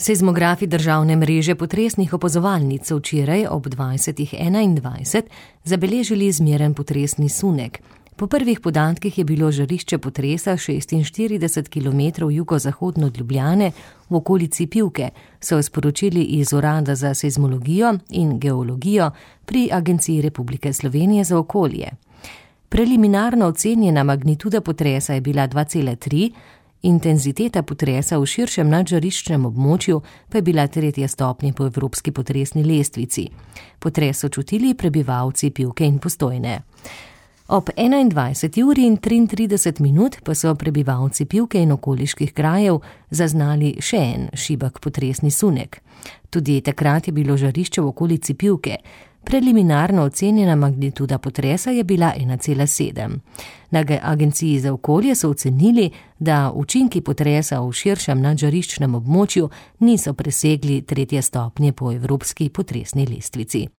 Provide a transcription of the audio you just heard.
Seizmografi državne mreže potresnih opazovalnic so včeraj ob 20:21 zabeležili zmeren potresni sunek. Po prvih podatkih je bilo žarišče potresa 46 km jugozahodno od Ljubljane v okolici Pivke, so sporočili iz Urada za seizmologijo in geologijo pri Agenciji Republike Slovenije za okolje. Preliminarno ocenjena magnituda potresa je bila 2,3, intenziteta potresa v širšem nadžariščnem območju pa je bila 3. stopnje po evropski potresni lestvici. Potres so čutili prebivalci Pivke in Postojne. Ob 21:33 pa so prebivalci Pivke in okoliških krajev zaznali še en šibek potresni sunek. Tudi takrat je bilo žarišče v okolici Pivke. Preliminarno ocenjena magnituda potresa je bila 1,7. Na Agenciji za okolje so ocenili, da učinki potresa v širšem nadžariščnem območju niso presegli 3. stopnje po evropski potresni lestvici.